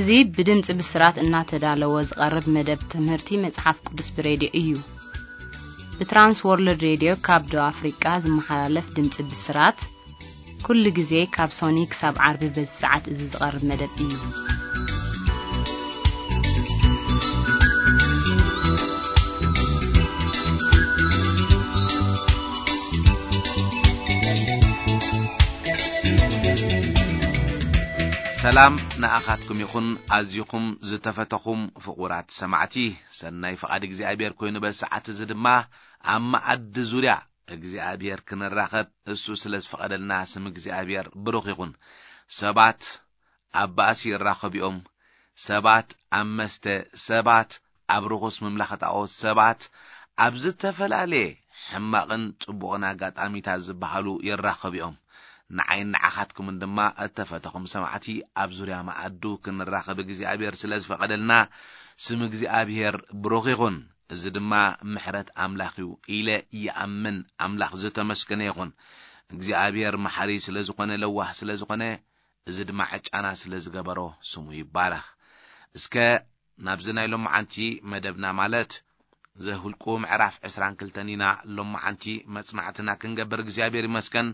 እዚ ብድምፂ ብስራት እናተዳለወ ዝቐርብ መደብ ትምህርቲ መፅሓፍ ቅዱስ ብሬድዮ እዩ። ብትራንስ ወርልድ ሬድዮ ካብ ደቡብ ኣፍሪቃ ዝመሓላለፍ ድምፂ ብስራት ኩሉ ግዜ ካብ ሶኒ ክሳብ ዓርቢ በዚ ሰዓት እዚ ዝቐርብ መደብ እዩ። ሰላም ንኣኻትኩም ይኹን፣ ኣዝኹም ዝተፈተኹም ፍቑራት ሰማዕቲ። ሰናይ ፍቓድ እግዚኣብሔር ኮይኑ በዚ ሰዓት እዚ ድማ ኣብ መኣዲ ዙርያ እግዚኣብሔር ክንራኸብ እሱ ስለ ዝፈቐደልና ስም እግዚኣብሔር ብሩኽ ይኹን። ሰባት ኣብ ባእሲ ይራኸቡ እዮም። ሰባት ኣብ መስተ፣ ሰባት ኣብ ርኹስ ምምላኽ ጣኦት፣ ሰባት ኣብ ዝተፈላለየ ሕማቕን ጽቡቕን ኣጋጣሚታት ዝበሃሉ ይራኸቡ እዮም። ንዓይን ንዓኻትኩምን ድማ እተፈተኹም ሰማዕቲ ኣብ ዙርያ መኣዱ ክንራኸብ እግዚኣብሔር ስለ ዝፈቐደልና ስም እግዚኣብሔር ብሩኽ ይኹን። እዚ ድማ ምሕረት ኣምላኽ እዩ ኢለ ይኣምን። ኣምላኽ ዝተመስገነ ይኹን። እግዚኣብሔር መሓሪ ስለ ዝኾነ፣ ለዋህ ስለ ዝኾነ፣ እዚ ድማ ዕጫና ስለ ዝገበሮ ስሙ ይባረኽ። እስከ ናብዚ ናይ ሎማዓንቲ መደብና ማለት ዘሁልቁ ምዕራፍ ዕስራን ክልተን ኢና ሎማዓንቲ መጽናዕትና ክንገብር እግዚኣብሔር ይመስገን።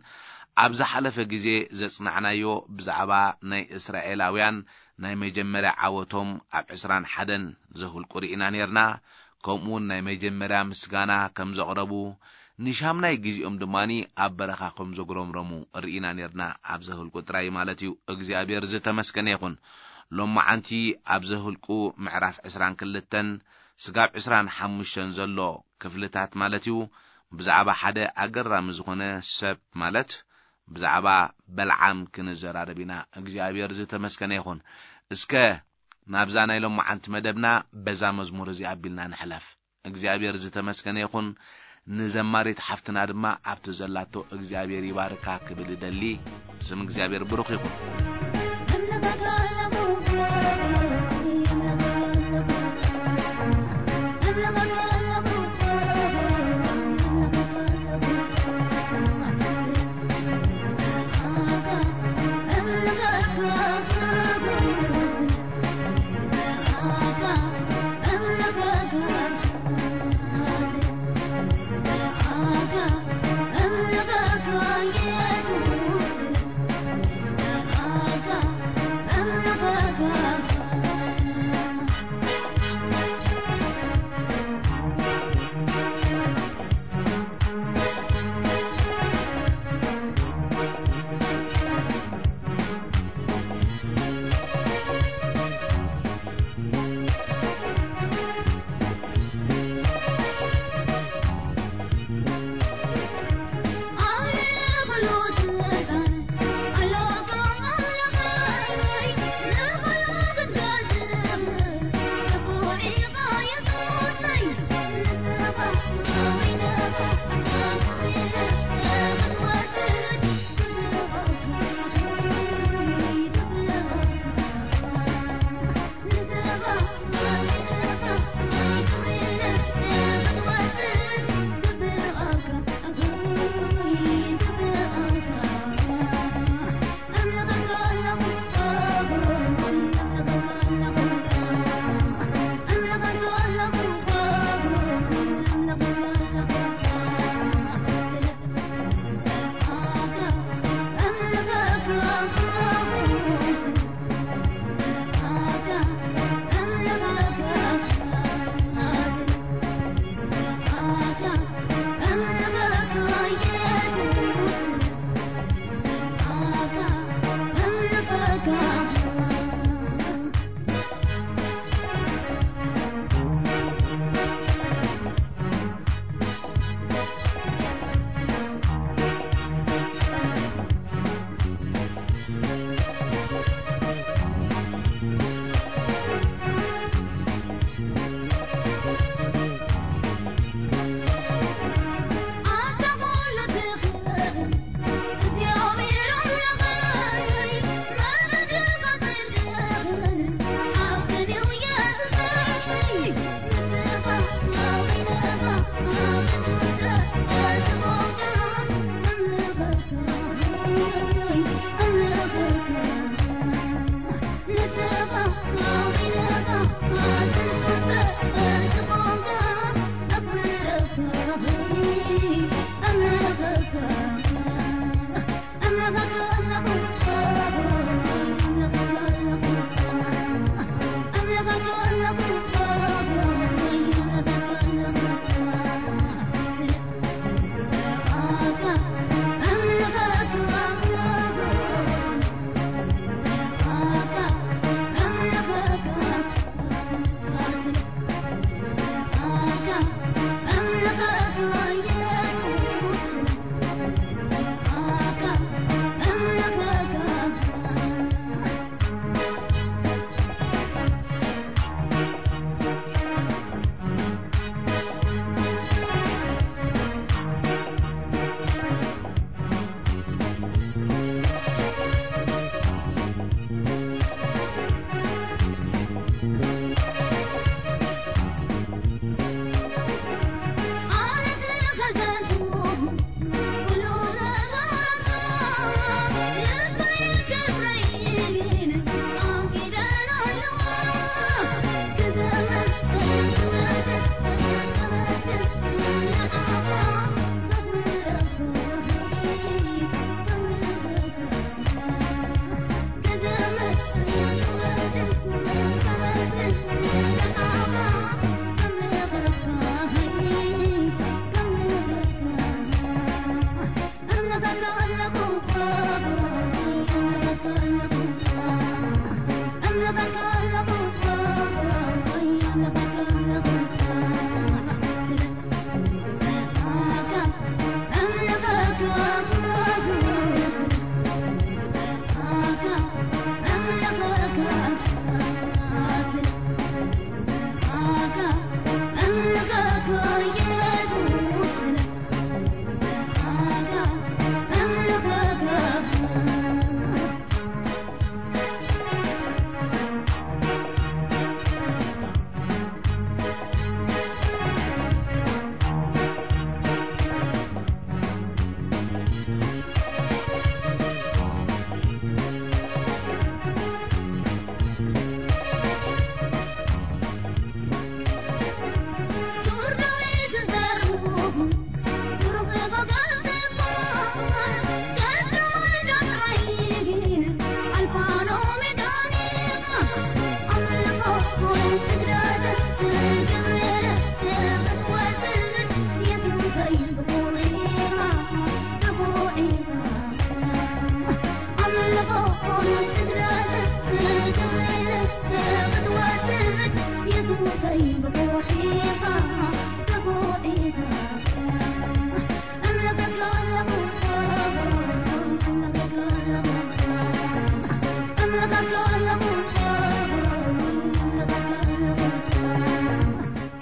ኣብ ዝሓለፈ ግዜ ዘጽናዕናዮ ብዛዕባ ናይ እስራኤላውያን ናይ መጀመርያ ዓወቶም ኣብ ዕስራን ሓደን ዘሁልቁ ርኢና ኔርና። ከምኡ እውን ናይ መጀመርያ ምስጋና ከም ዘቕረቡ፣ ንሻምናይ ግዜኦም ድማ ኣብ በረኻ ከም ዘጉረምረሙ ርኢና ኔርና። ኣብ ዘሁልቁ ጥራይ ማለት እዩ። እግዚኣብሔር ዝተመስገነ ይኹን። ሎማዓንቲ ኣብ ዘሁልቁ ምዕራፍ ዕስራን ክልተን ስጋብ ዕስራን ሓሙሽተን ዘሎ ክፍልታት ማለት እዩ፣ ብዛዕባ ሓደ ኣገራሚ ዝኾነ ሰብ ማለት ብዛዕባ በልዓም ክንዘራረብ ኢና። እግዚኣብሔር ዝተመስገነ ይኹን። እስከ ናብዛ ናይ ሎማዓንቲ መደብና በዛ መዝሙር እዚ ኣቢልና ንሕለፍ። እግዚኣብሔር ዝተመስገነ ይኹን። ንዘማሪት ሓፍትና ድማ ኣብቲ ዘላቶ እግዚኣብሔር ይባርካ ክብል እደሊ። ስም እግዚኣብሔር ብሩኽ ይኹን።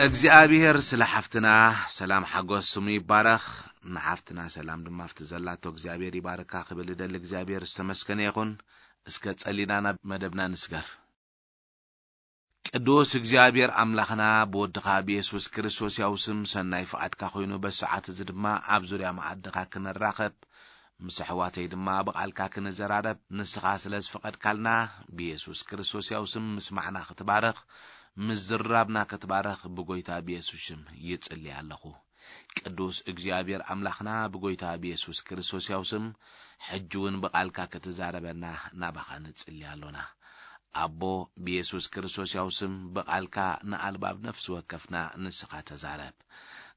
እግዚኣብሔር ስለ ሓፍትና ሰላም ሓጎስ ስሙ ይባረኽ። ንሓፍትና ሰላም ድማ ኣብቲ ዘላቶ እግዚኣብሔር ይባርካ ክብል እደሊ። እግዚኣብሔር ዝተመስገነ ይኹን። እስከ ጸሊና ናብ መደብና ንስገር። ቅዱስ እግዚኣብሔር ኣምላኽና ብወድኻ ብየሱስ ክርስቶስ ያው ስም ሰናይ ፍቓድካ ኮይኑ በሰዓት እዚ ድማ ኣብ ዙርያ መኣድኻ ክንራኸብ ምስ ኣሕዋተይ ድማ ብቓልካ ክንዘራረብ ንስኻ ስለ ዝፈቐድካልና ብየሱስ ክርስቶስ ያው ስም ምስማዕና ክትባረኽ ምዝራብና ክትባረኽ ብጎይታ ብየሱስ ሽም ይጽሊ ኣለኹ። ቅዱስ እግዚኣብሔር ኣምላኽና ብጎይታ ብየሱስ ክርስቶስ ያው ስም ሕጂ እውን ብቓልካ ክትዛረበና ናባኻ ንጽሊ ኣሎና። ኣቦ ብየሱስ ክርስቶስ ያው ስም ብቓልካ ንኣልባብ ነፍሲ ወከፍና ንስኻ ተዛረብ።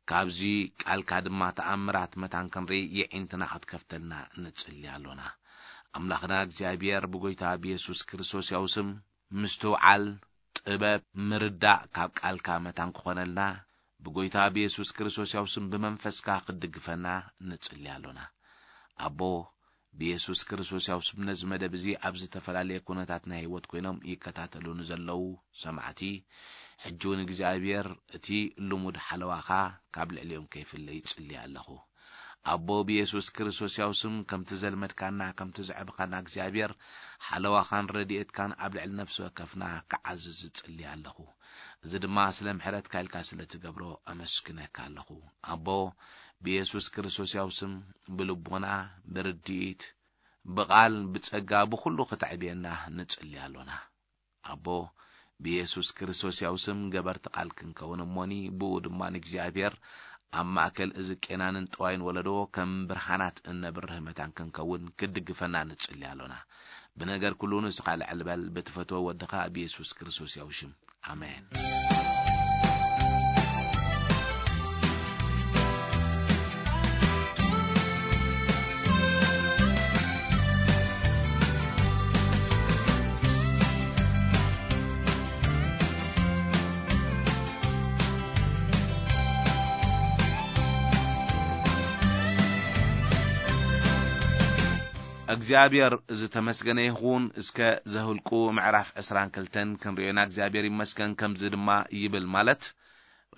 ካብዚ ቃልካ ድማ ተኣምራት መታን ክንርኢ የዒንትና ክትከፍተልና ንጽሊ ኣሎና። ኣምላኽና እግዚኣብሔር ብጎይታ ብየሱስ ክርስቶስ ያው ስም ምስትውዓል፣ ጥበብ፣ ምርዳእ ካብ ቃልካ መታን ክኾነልና ብጎይታ ብየሱስ ክርስቶስ ያው ስም ብመንፈስካ ክትድግፈና ንጽሊ ኣሎና። ኣቦ ብየሱስ ክርስቶስ ያው ስም ነዚ መደብ እዚ ኣብ ዝተፈላለየ ኩነታት ናይ ህይወት ኮይኖም ይከታተሉ ንዘለዉ ሰማዕቲ ሕጂ እውን እግዚኣብሔር እቲ ልሙድ ሓለዋኻ ካብ ልዕሊኦም ከይፍለ ይጽሊ ኣለኹ። ኣቦ ብየሱስ ክርስቶስ ያው ስም ከምቲ ዘልመድካና ከምቲ ዘዕብኻና እግዚኣብሔር ሓለዋኻን ረድኤትካን ኣብ ልዕሊ ነፍሲ ወከፍና ክዓዝዝ እጽሊ ኣለኹ። እዚ ድማ ስለ ምሕረትካ ኢልካ ስለ ትገብሮ ኣመስግነካ ኣለኹ። ኣቦ ብየሱስ ክርስቶስ ያው ስም ብልቦና ብርድኢት ብቓል ብጸጋ ብኹሉ ክተዕብየና ንጽሊ ኣሎና። ኣቦ ብየሱስ ክርስቶስ ያው ስም ገበርቲ ቃል ክንከውን እሞኒ ብኡ ድማ ንእግዚኣብሔር ኣብ ማእከል እዚ ቄናንን ጠዋይን ወለዶ ከም ብርሃናት እነብርህ መታን ክንከውን ክትድግፈና ንጽሊ ኣሎና። ብነገር ኩሉ ንስኻ ልዕል በል ብትፈትወ ወድኻ ብየሱስ ክርስቶስ ያው ሽም ኣሜን። እግዚኣብሔር ዝተመስገነ ይኹን። እስከ ዘህልቁ ምዕራፍ ዕስራን ክልተን ክንርእዮና እግዚኣብሔር ይመስገን። ከምዚ ድማ ይብል፣ ማለት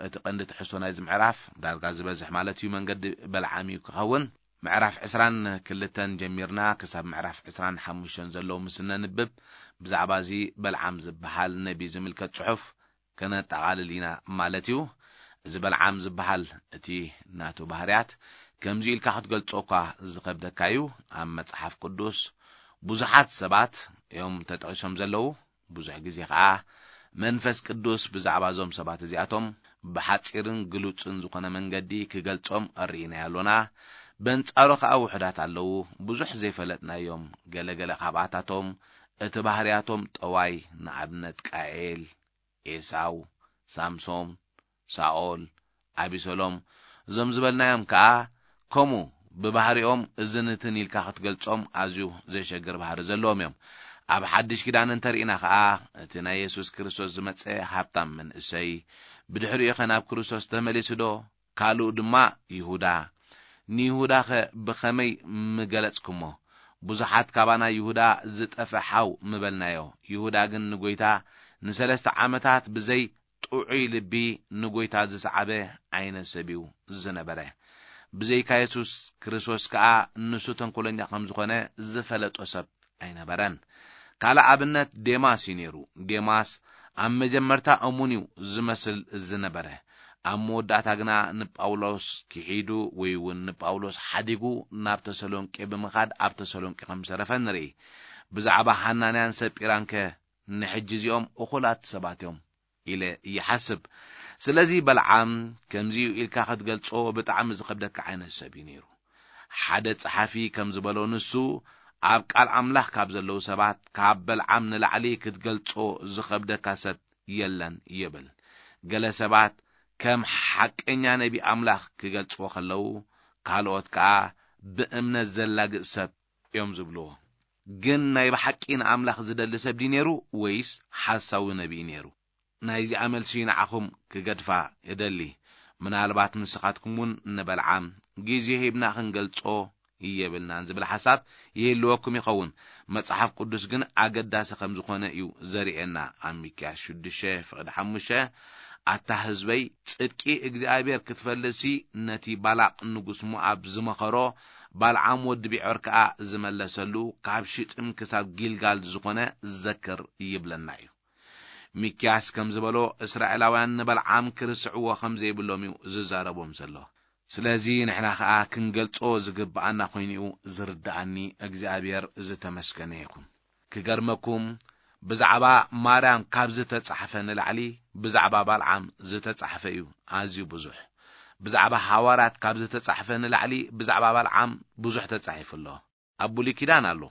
እቲ ቀንዲ ትሕዝቶ ናይዚ ምዕራፍ ዳርጋ ዝበዝሕ ማለት እዩ መንገዲ በልዓም እዩ ክኸውን። ምዕራፍ ዕስራን ክልተን ጀሚርና ክሳብ ምዕራፍ ዕስራን ሓሙሽተን ዘለዉ ምስ እነንብብ ብዛዕባ እዚ በልዓም ዝበሃል ነቢ ዝምልከት ጽሑፍ ከነጠቓልል ኢና ማለት እዩ። እዚ በልዓም ዝበሃል እቲ ናቱ ባህርያት ከምዚ ኢልካ ክትገልጾ እኳ ዝኸብደካ እዩ። ኣብ መጽሓፍ ቅዱስ ብዙሓት ሰባት እዮም ተጠቒሶም ዘለዉ። ብዙሕ ግዜ ኸኣ መንፈስ ቅዱስ ብዛዕባ እዞም ሰባት እዚኣቶም ብሓጺርን ግሉጽን ዝኾነ መንገዲ ክገልጾም ርኢናዮ ኣሎና። በንጻሩ ኸኣ ውሑዳት ኣለዉ፣ ብዙሕ ዘይፈለጥናዮም። ገለገለ ካብኣታቶም እቲ ባህርያቶም ጠዋይ፣ ንኣብነት ቃኤል፣ ኤሳው፣ ሳምሶም፣ ሳኦል፣ ኣቢሰሎም፣ እዞም ዝበልናዮም ከኣ ከምኡ ብባህሪኦም እዝን እትን ኢልካ ክትገልጾም ኣዝዩ ዘሸግር ባህሪ ዘለዎም እዮም። ኣብ ሓድሽ ኪዳን እንተርኢና ከኣ እቲ ናይ የሱስ ክርስቶስ ዝመጸ ሃብታም መንእሰይ፣ ብድሕሪኡ ኸ ናብ ክርስቶስ ተመሊሱ ዶ? ካልኡ ድማ ይሁዳ። ንይሁዳኸ ብኸመይ ምገለጽኩሞ? ብዙሓት ካባና ይሁዳ ዝጠፍእ ሓው ምበልናዮ። ይሁዳ ግን ንጐይታ ንሰለስተ ዓመታት ብዘይ ጥዑይ ልቢ ንጐይታ ዝሰዓበ ዓይነት ሰብ እዩ ዝነበረ። ብዘይካ የሱስ ክርስቶስ ከኣ ንሱ ተንኮለኛ ከም ዝኾነ ዝፈለጦ ሰብ ኣይነበረን። ካልእ ኣብነት ዴማስ እዩ ነይሩ። ዴማስ ኣብ መጀመርታ እሙን እዩ ዝመስል ዝነበረ። ኣብ መወዳእታ ግና ንጳውሎስ ክሒዱ ወይ እውን ንጳውሎስ ሓዲጉ ናብ ተሰሎንቄ ብምኻድ ኣብ ተሰሎንቄ ከም ዝተረፈ ንርኢ። ብዛዕባ ሃናንያን ሰጲራንከ ንሕጂ እዚኦም እኹላት ሰባት እዮም ኢለ ይሓስብ። ስለዚ በልዓም ከምዚ'ዩ ኢልካ ክትገልጾ ብጣዕሚ ዝኸብደካ ዓይነት ሰብ እዩ ነይሩ። ሓደ ጸሓፊ ከም ዝበሎ ንሱ ኣብ ቃል ኣምላኽ ካብ ዘለዉ ሰባት ካብ በልዓም ንላዕሊ ክትገልጾ ዝኸብደካ ሰብ የለን ይብል። ገለ ሰባት ከም ሓቀኛ ነቢ ኣምላኽ ክገልጽዎ ከለዉ፣ ካልኦት ከኣ ብእምነት ዘላግጽ ሰብ እዮም ዝብልዎ። ግን ናይ ብሓቂ ንኣምላኽ ዝደሊ ሰብ ድዩ ነይሩ ወይስ ሓሳዊ ነቢይ ነይሩ? ናይዚኣ መልሲ ንዓኹም ክገድፋ እደሊ። ምናልባት ንስኻትኩም እውን ንበልዓም ግዜ ሂብና ክንገልጾ የብልናን ዝብል ሓሳብ ይህልወኩም ይኸውን። መጽሓፍ ቅዱስ ግን ኣገዳሲ ከም ዝኾነ እዩ ዘርእየና። ኣብ ሚክያስ ሽዱሽተ ፍቕዲ ሓሙሽተ ኣታ ህዝበይ፣ ጽድቂ እግዚኣብሔር ክትፈልጥሲ፣ ነቲ ባላቅ ንጉስ ሞኣብ ዝመኸሮ፣ ባልዓም ወዲ ቢዖር ከኣ ዝመለሰሉ፣ ካብ ሽጥም ክሳብ ጊልጋል ዝኾነ ዘክር ይብለና እዩ። ሚክያስ ከም ዝበሎ፣ እስራኤላውያን ንበልዓም ክርስዕዎ ከም ዘይብሎም እዩ ዝዛረቦም ዘሎ። ስለዚ ንሕና ኸኣ ክንገልጾ ዝግብኣና ኮይኑ እዩ ዝርድኣኒ። እግዚኣብሔር ዝተመስገነ ይኹን። ክገርመኩም፣ ብዛዕባ ማርያም ካብ ዝተጻሕፈ ንላዕሊ ብዛዕባ ባልዓም ዝተጻሕፈ እዩ ኣዝዩ ብዙሕ። ብዛዕባ ሃዋርያት ካብ ዝተጻሕፈ ንላዕሊ ብዛዕባ ባልዓም ብዙሕ ተጻሒፉ ኣሎ። ኣብ ብሉይ ኪዳን ኣሎ፣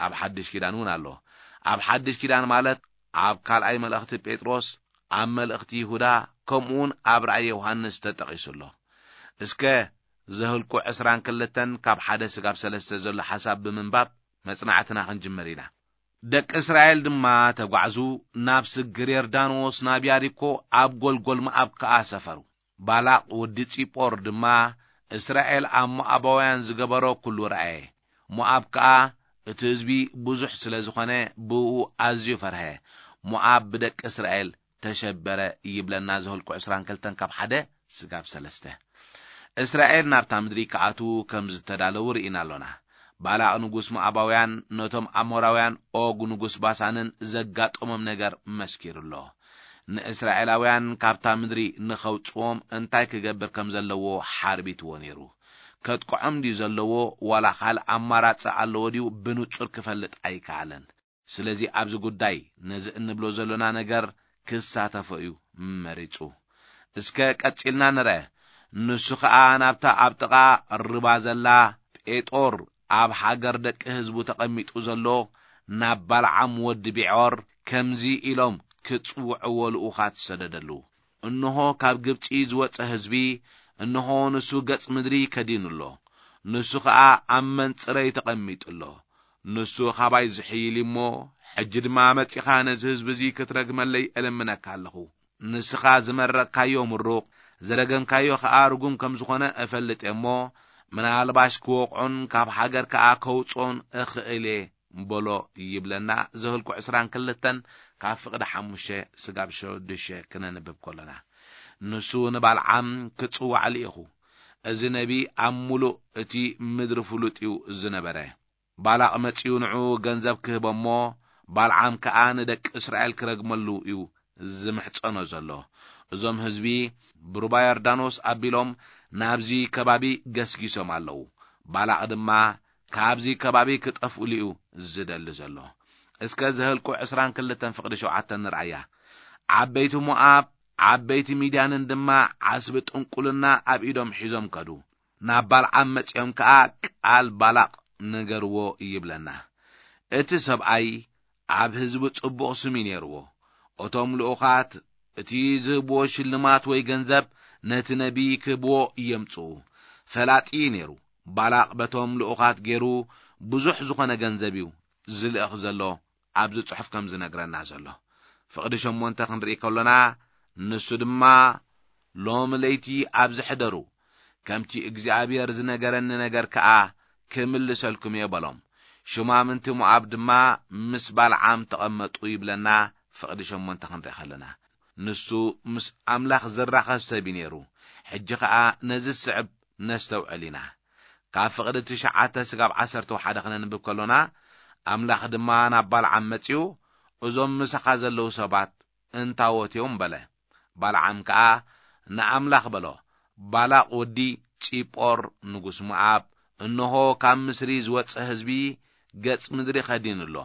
ኣብ ሓድሽ ኪዳን እውን ኣሎ። ኣብ ሓድሽ ኪዳን ማለት ኣብ ካልኣይ መልእኽቲ ጴጥሮስ፣ ኣብ መልእኽቲ ይሁዳ፣ ከምኡውን ኣብ ራእይ ዮሃንስ ተጠቒሱ ኣሎ። እስከ ዘህልቁ ዕስራን ክልተን ካብ ሓደ ስጋብ ሰለስተ ዘሎ ሓሳብ ብምንባብ መጽናዕትና ክንጅምር ኢና። ደቂ እስራኤል ድማ ተጓዕዙ፣ ናብ ስግር ዮርዳኖስ፣ ናብ ያሪኮ፣ ኣብ ጎልጎል መኣብ ከኣ ሰፈሩ። ባላቅ ወዲ ጺጶር ድማ እስራኤል ኣብ ሞኣባውያን ዝገበሮ ኩሉ ረኣየ። ሞኣብ ከኣ እቲ ህዝቢ ብዙሕ ስለ ዝኾነ ብእኡ ኣዝዩ ፈርሀ። ሞኣብ ብደቂ እስራኤል ተሸበረ ይብለና ዘኍልቁ ዕስራን ክልተን ካብ ሓደ ስጋብ ሰለስተ። እስራኤል ናብታ ምድሪ ክኣትዉ ከም ዝተዳለዉ ርኢና ኣሎና። ባላቅ ንጉስ ሞኣባውያን ነቶም ኣሞራውያን ኦግ ንጉስ ባሳንን ዘጋጠሞም ነገር መስኪሩ ኣሎ። ንእስራኤላውያን ካብታ ምድሪ ንኸውጽዎም እንታይ ክገብር ከም ዘለዎ ሓርቢትዎ ነይሩ። ከጥቅዖም ድዩ ዘለዎ ዋላ ካልእ ኣማራጺ ኣለዎ ድዩ ብንጹር ክፈልጥ ኣይከኣለን። ስለዚ ኣብዚ ጉዳይ ነዚ እንብሎ ዘሎና ነገር ክሳተፎ እዩ መሪጹ። እስከ ቀጺልና ንርአ። ንሱ ኸኣ ናብታ ኣብ ጥቓ ርባ ዘላ ጴጦር ኣብ ሃገር ደቂ ህዝቡ ተቐሚጡ ዘሎ ናብ ባልዓም ወዲ ቢዖር ከምዚ ኢሎም ክጽውዕዎ ልኡኻት ሰደደሉ። እንሆ ካብ ግብጺ ዝወጸ ህዝቢ፣ እንሆ ንሱ ገጽ ምድሪ ከዲኑ ኣሎ። ንሱ ኸኣ ኣብ መንጽረይ ተቐሚጡ ኣሎ። ንሱ ኻባይ ዝሕይል እዩ እሞ፣ ሕጂ ድማ መጺኻ ነዚ ህዝቢ እዚ ክትረግመለይ እልምነካ ኣለኹ። ንስኻ ዝመረቕካዮ ምሩቕ፣ ዝረገምካዮ ኸኣ ርጉም ከም ዝኾነ እፈልጥ እየ እሞ፣ ምናልባሽ ክወቕዖን ካብ ሃገር ከኣ ከውጽኦን እኽእል እየ በሎ ይብለና ዘኍልቁ ዕስራን ክልተን ካብ ፍቕዲ ሓሙሽተ ስጋብ ሸዱሽተ ክነንብብ ከሎና። ንሱ ንባልዓም ክጽዋዕ ልኢኹ። እዚ ነቢ ኣብ ምሉእ እቲ ምድሪ ፍሉጥ እዩ ዝነበረ። ባላቕ መጺኡ ንዕኡ ገንዘብ ክህቦ እሞ፣ ባልዓም ከኣ ንደቂ እስራኤል ክረግመሉ እዩ ዝምሕጸኖ ዘሎ። እዞም ህዝቢ ብሩባ ዮርዳኖስ ኣቢሎም ናብዚ ከባቢ ገስጊሶም ኣለዉ። ባላቕ ድማ ካብዚ ከባቢ ክጠፍኡሉ እዩ ዝደሊ ዘሎ። እስከ ዘኍልቁ ዕስራን ክልተን ፍቕዲ ሸውዓተ ንርኣያ። ዓበይቲ ሞኣብ፣ ዓበይቲ ሚድያንን ድማ ዓስቢ ጥንቁልና ኣብ ኢዶም ሒዞም ከዱ። ናብ ባልዓም መጺኦም ከኣ ቃል ባላቕ ነገርዎ ይብለና። እቲ ሰብኣይ ኣብ ህዝቢ ጽቡቕ ስም እዩ ነይርዎ። እቶም ልኡኻት እቲ ዝህብዎ ሽልማት ወይ ገንዘብ ነቲ ነቢይ ክህብዎ የምጽኡ። ፈላጢ እዩ ነይሩ። ባላቕ በቶም ልኡኻት ገይሩ ብዙሕ ዝኾነ ገንዘብ እዩ ዝልእኽ ዘሎ ኣብዚ ጽሑፍ ከም ዝነግረና ዘሎ። ፍቕዲ ሸሞንተ ክንርኢ ከሎና፣ ንሱ ድማ ሎም ለይቲ ኣብዚ ሕደሩ፣ ከምቲ እግዚኣብሔር ዝነገረኒ ነገር ከኣ ክምልሰልኩም እየ በሎም። ሹማምንቲ ሞኣብ ድማ ምስ ባልዓም ተቐመጡ ይብለና። ፍቕዲ ሸሞንተ ክንርኢ ከለና፣ ንሱ ምስ ኣምላኽ ዝራኸብ ሰብ እዩ ነይሩ። ሕጂ ኸኣ ነዚ ዝስዕብ ነስተውዕል ኢና። ካብ ፍቕዲ ትሽዓተ ስጋብ ዓሰርተ ሓደ ክነንብብ ከሎና፣ ኣምላኽ ድማ ናብ ባልዓም መጺኡ፣ እዞም ምሳኻ ዘለዉ ሰባት እንታዎት እዮም በለ። ባልዓም ከኣ ንኣምላኽ በሎ፣ ባላቕ ወዲ ጺጶር ንጉስ ሞኣብ፣ እንሆ ካብ ምስሪ ዝወጸ ህዝቢ ገጽ ምድሪ ከዲኑ ኣሎ።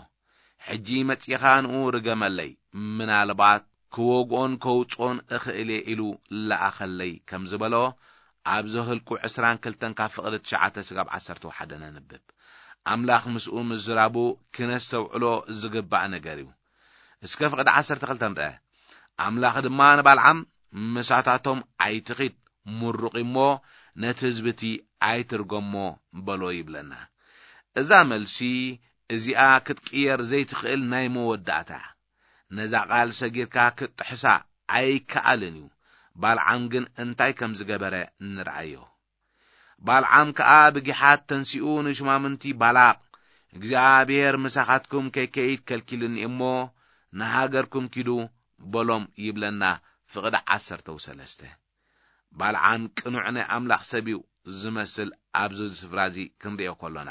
ሕጂ መጺኻ ንኡ ርገመለይ፣ ምናልባት ክወግኦን ከውጽኦን እኽእል እየ ኢሉ ለኣኸለይ ከም ዝበሎ፣ ኣብ ዘህልቁ ዕስራን ክልተን ካብ ፍቕዲ ትሽዓተ ስጋብ ዓሰርተ ሓደ ነንብብ። ኣምላኽ ምስኡ ምዝራቡ ክነስተውዕሎ ዝግባእ ነገር እዩ። እስከ ፍቕዲ ዓሰርተ ክልተ ንርአ። ኣምላኽ ድማ ንባልዓም፣ ምሳታቶም ኣይትኺድ፣ ምሩቕ እሞ ነቲ ህዝቢ እቲ ኣይትርገሞ በሎ ይብለና። እዛ መልሲ እዚኣ ክትቅየር ዘይትኽእል ናይ መወዳእታ። ነዛ ቓል ሰጊርካ ክትጥሕሳ ኣይከኣልን እዩ። ባልዓም ግን እንታይ ከም ዝገበረ ንርኣዮ። ባልዓም ከኣ ብጊሓት ተንሲኡ ንሹማምንቲ ባላቕ፣ እግዚኣብሔር ምሳኻትኩም ከይከይድ ከልኪሉኒ እሞ ንሃገርኩም ኪዱ በሎም ይብለና ፍቕዲ ዓሰርተ ሰለስተ። ባልዓም ቅኑዕ ናይ ኣምላኽ ሰብ እዩ ዝመስል ኣብዚ ስፍራ እዚ ክንሪኦ ከሎና፣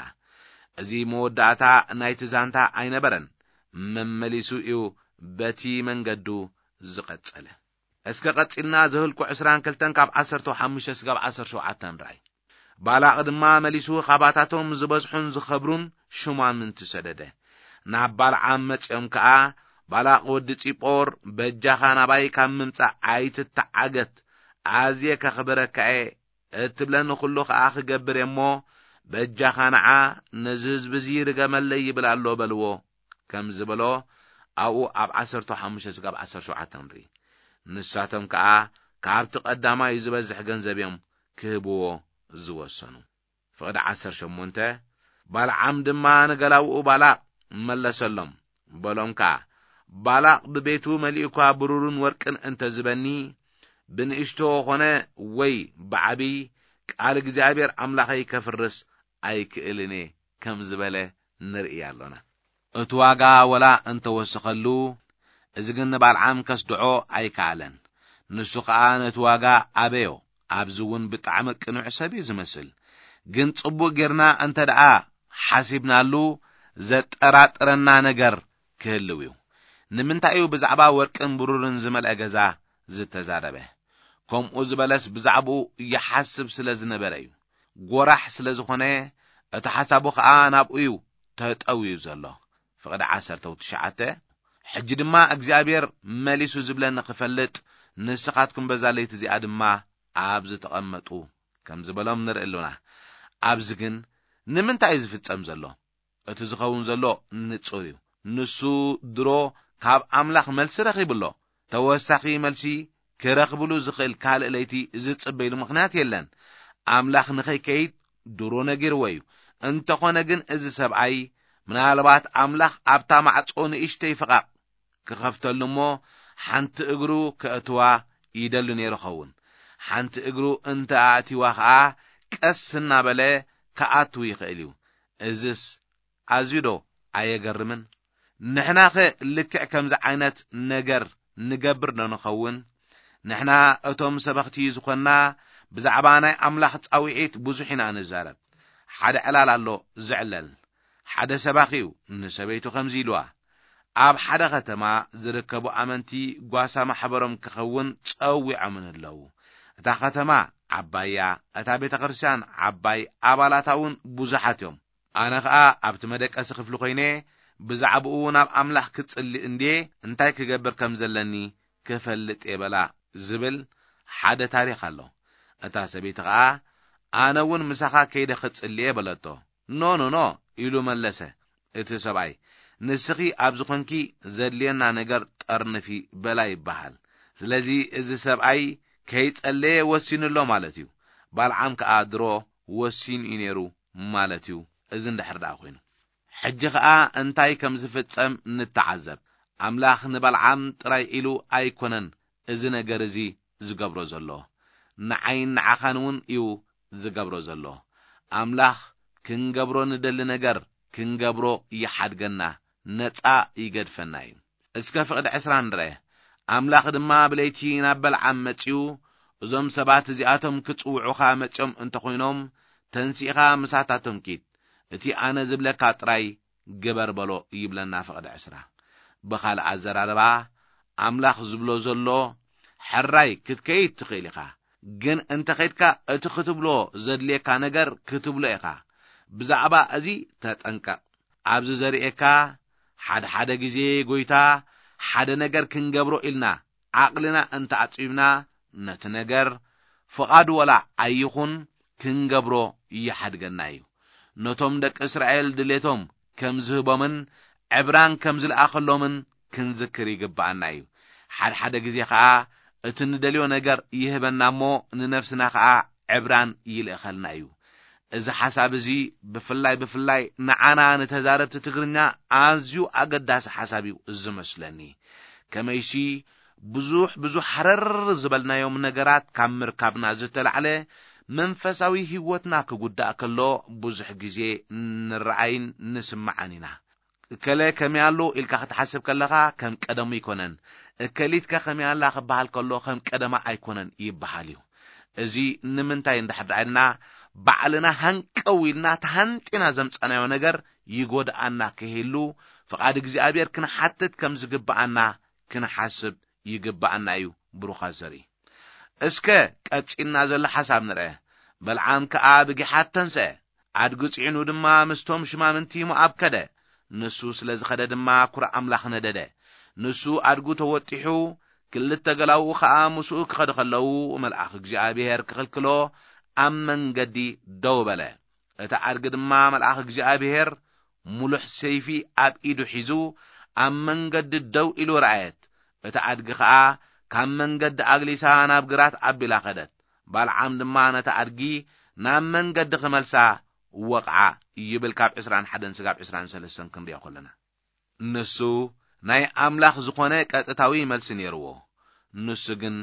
እዚ መወዳእታ ናይቲ ዛንታ ኣይነበረን። መመሊሱ እዩ በቲ መንገዱ ዝቐጸለ። እስከ ቀጺልና ዘህልቁ ዕስራን ክልተን ካብ ዓሰርተ ሓሙሽተ ስጋብ ዓሰርተ ሸውዓተ ንርኣይ። ባላቕ ድማ መሊሱ ካባታቶም ዝበዝሑን ዝኸብሩን ሹማምንቲ ሰደደ። ናብ ባልዓም መጺኦም ከኣ፣ "ባላቕ ወዲ ጺጶር፣ በጃኻ ናባይ ካብ ምምጻእ ኣይትተዓገት፣ ኣዝየ ከኽብረካ እየ፣ እትብለኒ ኩሉ ከኣ ክገብር እየ እሞ፣ በጃኻ ንዓ፣ ነዚ ህዝቢ እዚ ርገመለይ ይብል ኣሎ" በልዎ። ከም ዝበሎ ኣብኡ ኣብ ዓሰርተ ሓሙሽተ ስጋብ ዓሰርተ ሸውዓተ ንርኢ። ንሳቶም ከኣ ካብቲ ቀዳማይ ዝበዝሕ ገንዘብ እዮም ክህብዎ ዝወሰኑ። ፍቕዲ ዓሰርተ ሸሞንተ። ባልዓም ድማ ንገላውኡ ባላቕ መለሰሎም፣ በሎም ከኣ፣ "ባላቕ ብቤቱ መሊኡ እኳ ብሩርን ወርቅን እንተ ዝበኒ፣ ብንእሽቶ ኾነ ወይ ብዓቢ ቃል እግዚኣብሔር ኣምላኸይ ከፍርስ ኣይክእልን እየ" ከም ዝበለ ንርኢ ኣሎና። እቲ ዋጋ ወላ እንተወሰኸሉ፣ እዚ ግን ንባልዓም ከስድዖ ኣይከኣለን። ንሱ ኸኣ ነቲ ዋጋ ኣበዮ። ኣብዚ እውን ብጣዕሚ ቅኑዕ ሰብ እዩ ዝመስል። ግን ጽቡቕ ጌርና እንተ ደኣ ሓሲብናሉ፣ ዘጠራጥረና ነገር ክህልው እዩ። ንምንታይ እዩ ብዛዕባ ወርቅን ብሩርን ዝመልአ ገዛ ዝተዛረበ? ከምኡ ዝበለስ ብዛዕባኡ ይሓስብ ስለ ዝነበረ እዩ። ጐራሕ ስለ ዝኾነ፣ እቲ ሓሳቡ ኸኣ ናብኡ እዩ ተጠውዩ ዘሎ። ፍቕዲ ዓሰርተ ትሽዓተ። "ሕጂ ድማ እግዚኣብሔር መሊሱ ዝብለኒ ክፈልጥ፣ ንስኻትኩም በዛ ለይቲ እዚኣ ድማ ኣብ ዝተቐመጡ" ከም ዝበሎም ንርኢ ኣሎና። ኣብዚ ግን ንምንታይ እዩ ዝፍጸም ዘሎ? እቲ ዝኸውን ዘሎ ንጹር እዩ። ንሱ ድሮ ካብ ኣምላኽ መልሲ ረኺቡ ኣሎ። ተወሳኺ መልሲ ክረኽብሉ ዝኽእል ካልእ ለይቲ ዝጽበይሉ ምኽንያት የለን። ኣምላኽ ንኸይከይድ ድሮ ነጊርዎ እዩ። እንተኾነ ግን እዚ ሰብኣይ ምናልባት ኣምላኽ ኣብታ ማዕጾ ንእሽተይ ፈቓቕ ክኸፍተሉ እሞ ሓንቲ እግሩ ከእትዋ ይደሊ ነይሩ ኸውን። ሓንቲ እግሩ እንተ ኣእቲዋ ኸኣ ቀስ እናበለ ክኣትው ይኽእል እዩ። እዝስ ኣዝዩ ዶ ኣየገርምን? ንሕናኸ ልክዕ ከምዚ ዓይነት ነገር ንገብር ዶ ንኸውን? ንሕና እቶም ሰበኽቲ ዝኾንና ብዛዕባ ናይ ኣምላኽ ጻውዒት ብዙሕ ኢና ንዛረብ። ሓደ ዕላል ኣሎ ዝዕለል። ሓደ ሰባኺ እዩ ንሰበይቱ ከምዚ ኢልዋ፣ ኣብ ሓደ ከተማ ዝርከቡ ኣመንቲ ጓሳ ማሕበሮም ክኸውን ጸዊዖምን ኣለዉ። እታ ከተማ ዓባይ እያ፣ እታ ቤተ ክርስቲያን ዓባይ፣ ኣባላታ እውን ብዙሓት እዮም። ኣነ ኸኣ ኣብቲ መደቀሲ ክፍሊ ኮይነ ብዛዕባኡ ናብ ኣምላኽ ክጽሊ እንድየ እንታይ ክገብር ከም ዘለኒ ክፈልጥ እየ በላ ዝብል ሓደ ታሪኽ ኣሎ። እታ ሰበይቲ ኸኣ ኣነ እውን ምሳኻ ከይደ ክጽሊ እየ በለቶ። ኖ፣ ኖ፣ ኖ ኢሉ መለሰ። እቲ ሰብኣይ፣ ንስኺ ኣብ ዝኾንኪ ዘድልየና ነገር ጠርንፊ በላ ይበሃል። ስለዚ እዚ ሰብኣይ ከይጸለየ ወሲኑ ኣሎ ማለት እዩ። ባልዓም ከኣ ድሮ ወሲኑ እዩ ነይሩ ማለት እዩ። እዚ እንድሕር ደኣ ኮይኑ፣ ሕጂ ኸኣ እንታይ ከም ዝፍጸም ንተዓዘብ። ኣምላኽ ንባልዓም ጥራይ ኢሉ ኣይኮነን እዚ ነገር እዚ ዝገብሮ ዘሎ፣ ንዓይን ንዓኻን እውን እዩ ዝገብሮ ዘሎ። ኣምላኽ ክንገብሮ ንደሊ ነገር ክንገብሮ ይሓድገና፣ ነጻ ይገድፈና እዩ። እስከ ፍቕዲ ዕስራ ንርአ። ኣምላኽ ድማ ብለይቲ ናብ በልዓም መጺኡ፣ "እዞም ሰባት እዚኣቶም ክጽውዑኻ መጺኦም እንተኾይኖም፣ ተንሲእኻ ምሳታቶም ኪድ፣ እቲ ኣነ ዝብለካ ጥራይ ግበር በሎ" ይብለና ፍቕዲ ዕስራ። ብኻልእ ኣዘራርባ፣ ኣምላኽ ዝብሎ ዘሎ፣ ሕራይ ክትከይድ ትኽእል ኢኻ፣ ግን እንተ ኸይድካ እቲ ክትብሎ ዘድልየካ ነገር ክትብሎ ኢኻ። ብዛዕባ እዚ ተጠንቀቕ። ኣብዚ ዘርእየካ፣ ሓደ ሓደ ግዜ ጎይታ ሓደ ነገር ክንገብሮ ኢልና ዓቕልና እንተ ኣጽቢብና፣ ነቲ ነገር ፍቓዱ ወላ ኣይኹን ክንገብሮ ይሓድገና እዩ። ነቶም ደቂ እስራኤል ድሌቶም ከም ዝህቦምን ዕብራን ከም ዝለኣኸሎምን ክንዝክር ይግብኣና እዩ። ሓድሓደ ግዜ ኸኣ እቲ ንደልዮ ነገር ይህበና እሞ ንነፍስና ኸኣ ዕብራን ይልእኸልና እዩ። እዚ ሓሳብ እዚ ብፍላይ ብፍላይ ንዓና ንተዛረብቲ ትግርኛ ኣዝዩ ኣገዳሲ ሓሳብ እዩ ዝመስለኒ። ከመይሲ ብዙሕ ብዙሕ ሃረር ዝበልናዮም ነገራት ካብ ምርካብና ዝተላዕለ መንፈሳዊ ህይወትና ክጉዳእ ከሎ ብዙሕ ግዜ ንረኣይን ንስምዓን ኢና። እከለ ከመይ ኣሎ ኢልካ ክትሓስብ ከለኻ ከም ቀደሙ ኣይኮነን። እከሊትከ ከመይ ኣላ ክበሃል ከሎ ከም ቀደማ ኣይኮነን ይበሃል እዩ። እዚ ንምንታይ እንድሕር ደኣ ኢልና፣ ባዕልና ሃንቀው ኢልና ተሃንጢና ዘምጻናዮ ነገር ይጎድኣና ከይህሉ፣ ፍቓድ እግዚኣብሔር ክንሓትት ከም ዝግብኣና ክንሓስብ ይግብኣና እዩ። ብሩኻት ዘርኢ። እስከ ቀጺልና ዘሎ ሓሳብ ንርአ። በልዓም ከኣ ብጊሓት ተንስአ፣ ኣድጊ ጽዒኑ ድማ ምስቶም ሽማምንቲ ሞኣብ ከደ። ንሱ ስለ ዝኸደ ድማ ኩራ ኣምላኽ ነደደ። ንሱ ኣድጉ ተወጢሑ፣ ክልተ ገላውኡ ኸኣ ምስኡ ክኸዱ ከለዉ፣ መልኣኽ እግዚኣብሔር ክኽልክሎ ኣብ መንገዲ ደው በለ። እቲ ኣድጊ ድማ መልኣኽ እግዚኣብሔር ምሉሕ ሰይፊ ኣብ ኢዱ ሒዙ ኣብ መንገዲ ደው ኢሉ ረኣየት። እቲ ኣድጊ ኸኣ ካብ መንገዲ ኣግሊሳ ናብ ግራት ኣቢላ ኸደት። ባልዓም ድማ ነቲ ኣድጊ ናብ መንገዲ ክመልሳ ወቕዓ ይብል፣ ካብ ዕስራን ሓደን ስጋብ ዕስራን ሰለስተን ክንሪኦ ከለና። ንሱ ናይ ኣምላኽ ዝኾነ ቀጥታዊ መልሲ ነይርዎ። ንሱ ግን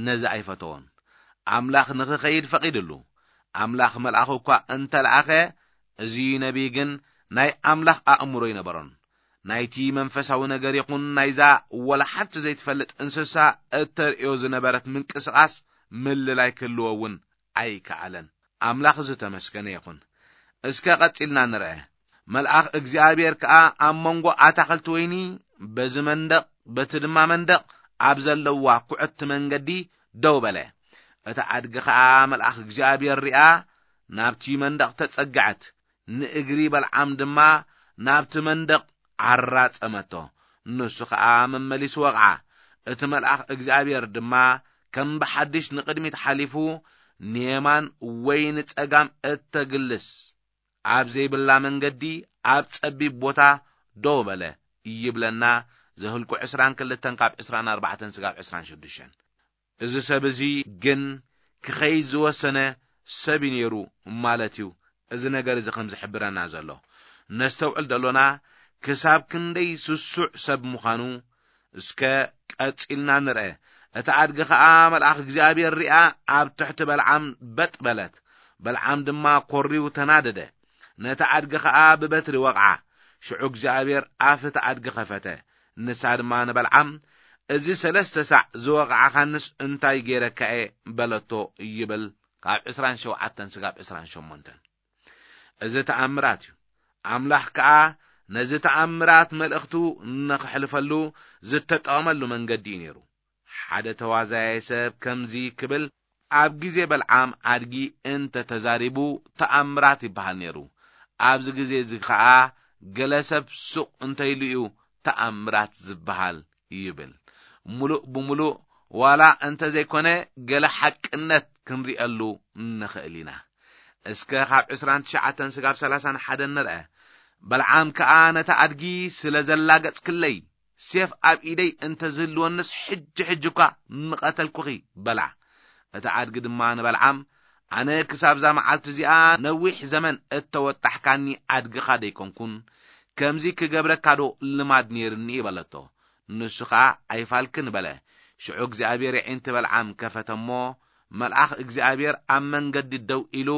ነዚ ኣይፈተዎን። ኣምላኽ ንኽኸይድ ፈቒድሉ። ኣምላኽ መልኣኹ እኳ እንተ ለኣኸ፣ እዚ ነቢይ ግን ናይ ኣምላኽ ኣእምሮ ኣይነበሮን። ናይቲ መንፈሳዊ ነገር ይኹን ናይዛ ወላ ሓንቲ ዘይትፈልጥ እንስሳ እተርእዮ ዝነበረት ምንቅስቓስ ምልላይ ክህልዎ እውን ኣይከኣለን። ኣምላኽ ዝተመስገነ ይኹን። እስከ ቀጺልና ንርአ። መልኣኽ እግዚኣብሔር ከኣ ኣብ መንጎ ኣታኽልቲ ወይኒ፣ በዚ መንደቕ በቲ ድማ መንደቕ ኣብ ዘለዋ ኩዕቲ መንገዲ ደው በለ። እቲ ኣድጊ ኸኣ መልኣኽ እግዚኣብሔር ሪኣ፣ ናብቲ መንደቕ ተጸግዐት። ንእግሪ በልዓም ድማ ናብቲ መንደቕ ዓራጸመቶ። ንሱ ኸኣ መመሊሱ ወቕዓ። እቲ መልኣኽ እግዚኣብሔር ድማ ከም ብሓድሽ ንቕድሚት ሓሊፉ፣ ንየማን ወይ ንጸጋም እተግልስ ኣብ ዘይብላ መንገዲ ኣብ ጸቢብ ቦታ ደው በለ ይብለና። ዘህልቁ ዕስራን ክልተን ካብ ዕስራን ኣርባዕተን ስጋብ ዕስራን ሽዱሽተን። እዚ ሰብ እዚ ግን ክኸይድ ዝወሰነ ሰብ እዩ ነይሩ ማለት እዩ። እዚ ነገር እዚ ከም ዝሕብረና ዘሎ ነስተውዕል ደሎና፣ ክሳብ ክንደይ ስሱዕ ሰብ ምዃኑ እስከ ቀጺልና ንርአ። እቲ ኣድጊ ኸኣ መልኣኽ እግዚኣብሔር ሪኣ ኣብ ትሕቲ በልዓም በጥ በለት። በልዓም ድማ ኮሪው ተናደደ። ነቲ ኣድጊ ኸኣ ብበትሪ ወቕዓ። ሽዑ እግዚኣብሔር ኣፍ እቲ ኣድጊ ኸፈተ። ንሳ ድማ ንበልዓም፣ "እዚ ሰለስተ ሳዕ ዝወቕዓኻንስ እንታይ ገይረካ እየ?" በለቶ ይብል፣ ካብ ዕስራን ሸውዓተን ስጋብ ዕስራን ሸሞንተን። እዚ ተኣምራት እዩ። ኣምላኽ ከኣ ነዚ ተኣምራት መልእኽቱ ንኽሕልፈሉ ዝተጠቐመሉ መንገዲ እዩ ነይሩ። ሓደ ተዋዛያይ ሰብ ከምዚ ክብል ኣብ ግዜ በልዓም ኣድጊ እንተ ተዛሪቡ ተኣምራት ይበሃል ነይሩ። ኣብዚ ግዜ እዚ ከኣ ገለ ሰብ ሱቕ እንተ ኢሉ እዩ ተኣምራት ዝበሃል ይብል። ምሉእ ብምሉእ ዋላ እንተ ዘይኮነ ገለ ሓቅነት ክንሪአሉ ንኽእል ኢና። እስከ ካብ ዕስራን ትሽዓተን ስጋብ ሰላሳን ሓደን ንርአ። በልዓም ከኣ ነቲ ኣድጊ ስለ ዘላገጽክለይ ሴፍ ኣብ ኢደይ እንተ ዝህልወንስ ሕጂ ሕጂ እኳ ምቐተልኩኺ በላ። እቲ ኣድጊ ድማ ንበልዓም፣ ኣነ ክሳብዛ መዓልቲ እዚኣ ነዊሕ ዘመን እተወጣሕካኒ ኣድግኻ ደይኮንኩን፣ ከምዚ ክገብረካ ዶ ልማድ ነይርኒ? በለቶ። ንሱ ኸኣ ኣይፋልክን በለ። ሽዑ እግዚኣብሔር የዒንቲ በልዓም ከፈተ እሞ፣ መልኣኽ እግዚኣብሔር ኣብ መንገዲ ደው ኢሉ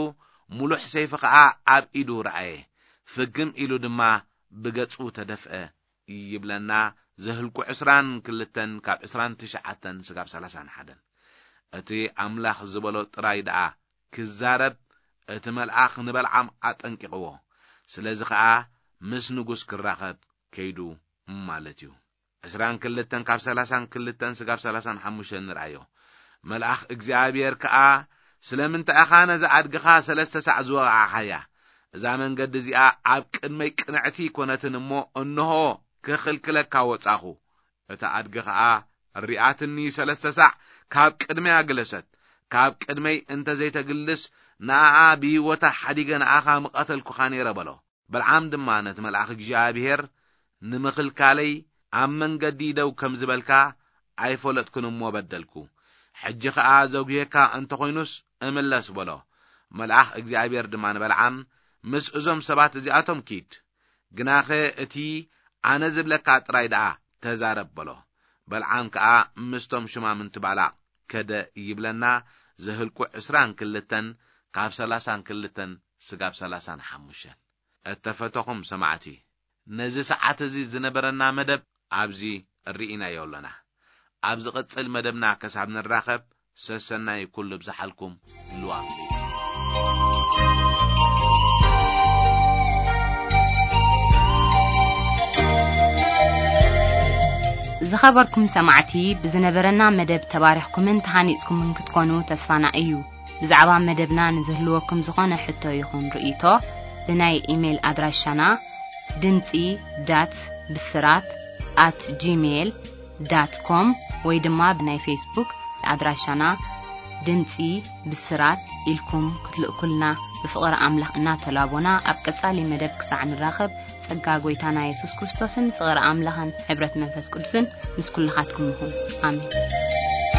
ምሉሕ ሰይፊ ኸኣ ኣብ ኢዱ ረኣየ። ፍግም ኢሉ ድማ ብገጹ ተደፍአ ይብለና። ዘህልቁ ዕስራን ክልተን ካብ ዕስራን ትሽዓተን ስጋብ ሰላሳን ሓደን። እቲ ኣምላኽ ዝበሎ ጥራይ ደኣ ክዛረብ እቲ መልኣኽ ንበልዓም ኣጠንቂቕዎ። ስለዚ ኸኣ ምስ ንጉስ ክራኸብ ከይዱ ማለት እዩ። ዕስራን ክልተን ካብ ሰላሳን ክልተን ስጋብ ሰላሳን ሓሙሽተን ንርኣዮ። መልኣኽ እግዚኣብሔር ከኣ፣ "ስለምንታይ ኢኻ ነዚ ኣድግኻ ሰለስተ ሳዕ ዝወቓዕኻያ? እዛ መንገዲ እዚኣ ኣብ ቅድመይ ቅንዕቲ ኣይኮነትን እሞ፣ እንሆ፣ ክኽልክለካ ወጻኹ። እታ ኣድጊ ኸኣ ሪኣትኒ ሰለስተ ሳዕ ካብ ቅድመይ ኣግለሰት። ካብ ቅድመይ እንተ ዘይተግልስ፣ ንኣኣ ብህይወታ ሓዲገ ንኣኻ ምቐተልኩኻ ነይረ" በሎ። በልዓም ድማ ነቲ መልኣኽ እግዚኣብሔር፣ "ንምኽልካለይ ኣብ መንገዲ ደው ከም ዝበልካ ኣይፈለጥኩን እሞ በደልኩ። ሕጂ ኸኣ ዘጉየካ እንተ ኾይኑስ እምለስ" በሎ። መልኣኽ እግዚኣብሔር ድማ ንበልዓም፣ "ምስ እዞም ሰባት እዚኣቶም ኪድ፣ ግናኸ እቲ ኣነ ዝብለካ ጥራይ ደኣ ተዛረብ" በሎ። በልዓም ከኣ ምስቶም ሽማምንቲ ባላቕ ከደ ይብለና። ዘህልቁ ዕስራን ክልተን ካብ ሰላሳን ክልተን ስጋብ ሰላሳን ሓሙሽተን። እተፈተኹም ሰማዕቲ፣ ነዚ ሰዓት እዚ ዝነበረና መደብ ኣብዚ ርኢናዮ ኣለና። ኣብ ዝቕጽል መደብና ከሳብ ንራኸብ፣ ሰሰናይ ኩሉ ብዝሓልኩም ህልው ኣምላኽ። ዝኸበርኩም ሰማዕቲ፣ ብዝነበረና መደብ ተባሪኽኩምን ተሃኒጽኩምን ክትኮኑ ተስፋና እዩ። ብዛዕባ መደብና ንዝህልወኩም ዝኾነ ሕቶ ይኹን ርእይቶ፣ ብናይ ኢሜይል ኣድራሻና ድምጺ ዳት ብስራት ኣት ጂሜይል ዳት ኮም ወይ ድማ ብናይ ፌስቡክ ኣድራሻና ድምጺ ብስራት ኢልኩም ክትልእኩልና ብፍቕሪ ኣምላኽ እናተላቦና፣ ኣብ ቀጻሊ መደብ ክሳዕ ንራኸብ፣ ጸጋ ጐይታና የሱስ ክርስቶስን ፍቕሪ ኣምላኽን ሕብረት መንፈስ ቅዱስን ምስ ኩልኻትኩም ይኹን። ኣሜን።